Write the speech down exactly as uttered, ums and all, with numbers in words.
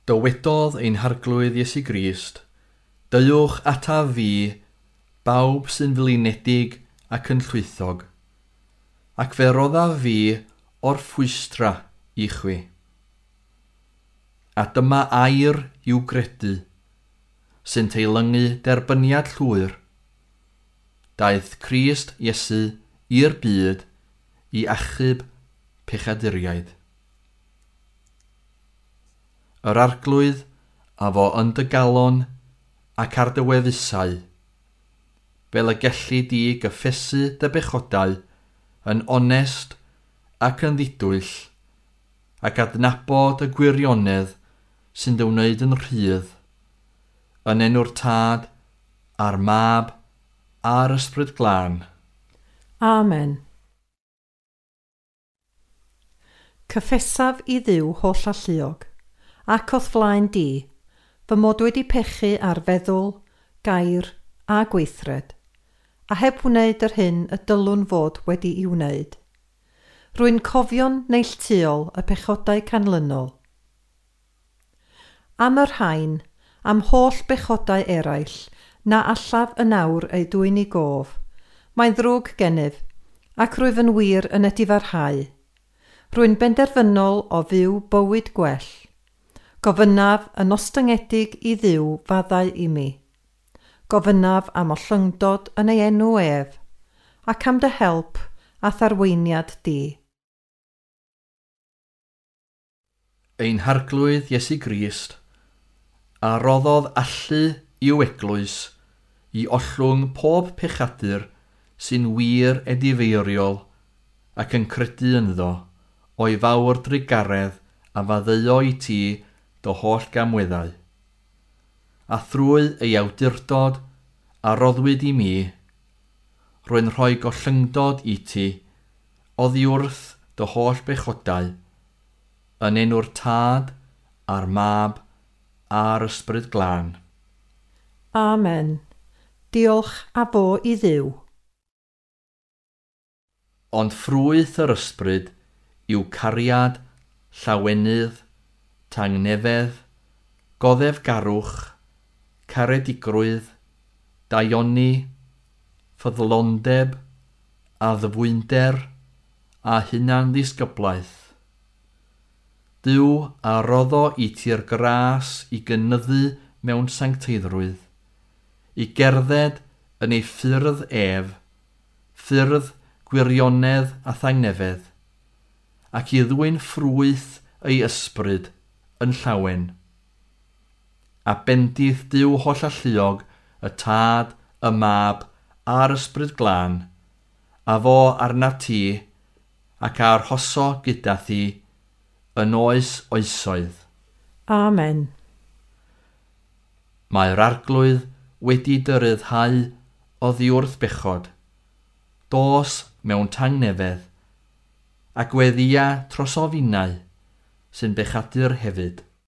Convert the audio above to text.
Dywedodd ein Harglwydd Iesu Grist, "Deuwch ataf fi, bawb sy'n flinedig ac yn llwythog, ac fe roddaf fi orffwystra i chwi." A dyma air i'w gredu, sy'n teilyngu derbyniad llwyr. Daeth Crist Iesu i'r byd i achub pechaduriaid. Yr Arglwydd a fo yn dy galon ac ar dy wefusau, fel y gelli di gyffesu dy bechodau yn onest ac yn ddidwyll, ac adnabod y gwirionedd sy'n dy wneud yn rhydd, yn enw'r Tad, a'r Mab, a'r Ysbryd Glân. Amen. Cyffesaf i Dduw holl alluog, ac o'th flaen di, fy mod wedi pechu ar feddwl, gair a gweithred, a heb wneud yr hyn y dylwn fod wedi'i wneud. Rwy'n cofio'n neilltuol y pechodau canlynol. Am y rhain, am holl bechodau eraill, na allaf yn awr eu dwyn i gof, mae'n ddrwg gennyf, ac rwyf yn wir yn edifarhau. Rwy'n benderfynol o fyw bywyd gwell. Gofynnaf yn ostyngedig i Dduw faddau i mi. Gofynnaf am ollyngdod yn ei enw ef, ac am dy help a tharweiniad di. Ein Harglwydd Iesu Grist, a roddodd allu i'w eglwys i ollwng pob pechadur sy'n wir edifeiriol ac yn credu ynddo o'i fawr drugaredd a faddeuo i ti dy holl gamweddau. A thrwy ei awdurdod a roddwyd i mi, rwy'n rhoi gollyngdod i ti oddi wrth dy holl bechodau, yn enw'r Tad, a'r Mab, a'r Ysbryd Glân. Amen. Diolch a fo i Dduw. Ond ffrwyth yr Ysbryd yw cariad, llawenydd, tangnefedd, goddefgarwch, caredigrwydd, daioni, ffyddlondeb, addfwynder a hunanddisgyblaeth. Duw a roddo i ti'r gras i gynyddu mewn sancteiddrwydd, i gerdded yn ei ffyrdd ef, ffyrdd gwirionedd a thangnefedd, ac i ddwyn ffrwyth ei ysbryd yn llawen. A bendith Duw hollalluog, y Tad, y Mab, a'r Ysbryd Glân, a fo arnat ti, ac a arhoso gyda thi, yn oes oesoedd. Amen. Mae'r Arglwydd wedi dy ryddhau oddi wrth bechod. Dos mewn tangnefedd, a gweddïa trosofinau sy'n bechadur hefyd.